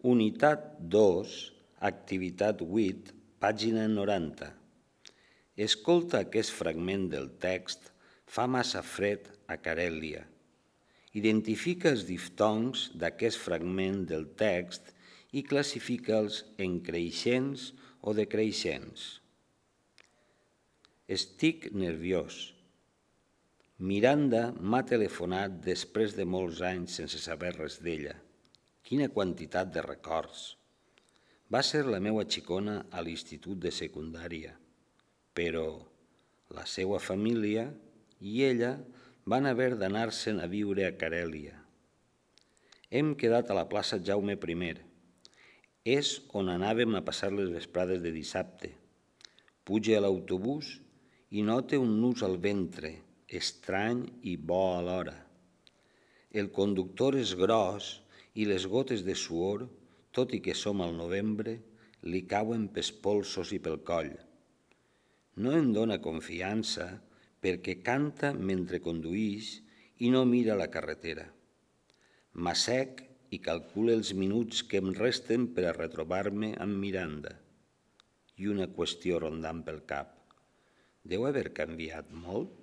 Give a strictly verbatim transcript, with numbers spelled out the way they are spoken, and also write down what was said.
Unitat dos, activitat vuit, pàgina noranta. Escolta aquest fragment del text Fa massa fred a Carèlia. Identifica els diftongs d'aquest fragment del text i classifica'ls en creixents o decreixents. Estic nerviós. Miranda m'ha telefonat després de molts anys sense saber res d'ella. Quina quantitat de records. Va ser la meua xicona a l'institut de secundària, però la seva família i ella van haver d'anar-se'n a viure a Carèlia. Hem quedat a la plaça Jaume primer. És on anàvem a passar les vesprades de dissabte. Puja a l'autobús i nota un nus al ventre, estrany i bo alhora. El conductor és gros i les gotes de suor, tot i que som al novembre, li cauen pels polsos i pel coll. No em dóna confiança perquè canta mentre conduïx i no mira la carretera. M'assec i calcula els minuts que em resten per a retrobar-me amb Miranda. I una qüestió rondant pel cap. Deu haver canviat molt?